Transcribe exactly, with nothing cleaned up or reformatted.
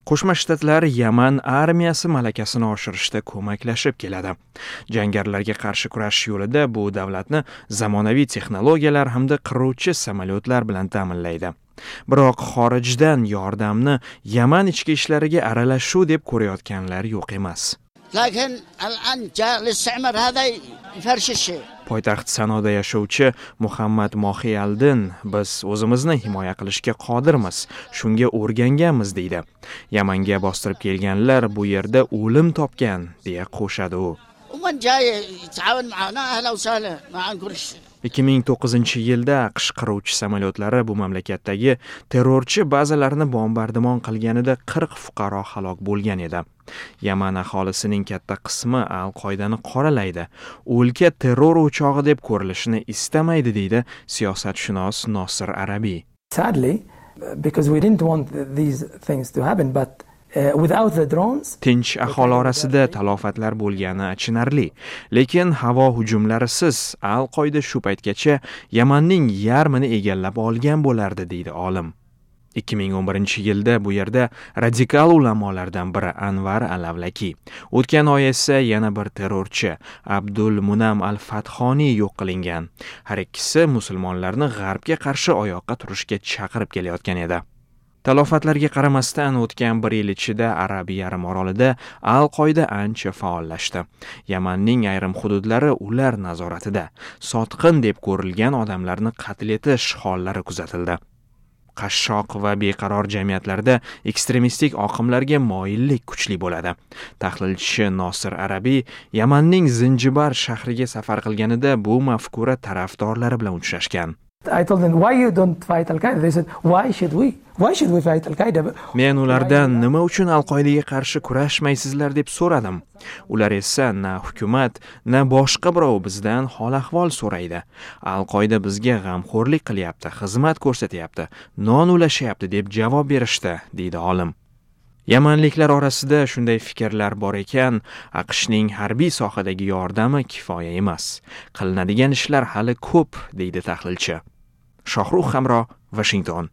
Qo'shma Shtatlar Yaman armiyasi malakasini oshirishda ko'maklashib keladi. Jangarilarga qarshi kurashish yo'lida bu davlatni zamonaviy texnologiyalar hamda qiruvchi samolyotlar bilan ta'minlaydi. Biroq xorijdan yordamni Yaman ichki ishlariga aralashuv deb ko'rayotganlar yo'q emas. لكن الآن جاء الاستعمار هذا يفرش الشيء. Poytaxt Sanoda yashovchi Muhammad Mohiyaldin biz o'zimizni himoya qilishga qodirmiz, shunga o'rganganmiz deydi. Yamanga bostirib kelganlar bu yerda o'lim topgan deya qo'shadi u. ومن جاي يتعاون معنا أهلا وسهلا ما نقولش. ikki ming to'qqizinchi yilda AQSh qiruvchi samolyotlari bu mamlakatdagi terrorchi bazalarni bombardimon qilganida qirq fuqaro halok bo'lgan edi. Yaman aholisining katta qismi Al-Qoidani qoralaydi. O'lka terror o'chog'i deb ko'rilishini istamaydi deydi siyosatshunos Nosir Arabiy. Sadly, because we didn't want these things to happen, but Uh, without the drones, tinch aholi orasida talofatlar bo'lgani achinarli, lekin havo hujumlarisiz Al-Qoida shu paytgacha Yamanning yarmini egallab olgan bo'lardi deydi olim. ikki ming o'n birinchi yilda bu yerda radikal ulamolardan biri Anvar al-Avlaki, o'tgan oy esa yana bir terrorchi Abdul Munam al-Fathoniy yo'q qilingan. Har ikkisi musulmonlarni g'arbga qarshi oyoqqa turishga chaqirib kelayotgan edi. Talofatlarga qaramasdan o'tgan bir yil ichida Arab yarim orolida Al-Qoida ancha faollashdi. Yamanning ayrim hududlari ular nazoratida. Sotqin deb ko'rilgan odamlarni qatl etish hollari kuzatildi. Qashshoq va beqaror jamiyatlarda ekstremistik oqimlarga moyillik kuchli bo'ladi. Tahlilchi Nosir Arabiy Yamanning Zinjibar shahriga safar qilganida bu mafkura tarafdorlari bilan uchrashgan. I told them, why you don't fight Al-Qaeda? They said, why should we? Why should we fight Al-Qaeda? Men ulardan nima uchun Al-Qoidaga qarshi kurashmaysizlar deb so'radim. Ular esa na hukumat, na boshqa birov bizdan hol-ahvol so'raydi. Al-Qoida bizga g'amxo'rlik qilyapti, xizmat ko'rsatyapti, non ulashyapti deb javob berishdi, deydi olim. Yamanliklar orasida shunday fikrlar bor ekan, AQShning harbiy sohadagi yordami kifoya emas. Qilinadigan ishlar hali ko'p, deydi tahlilchi. Shohrux Hamro, Washington.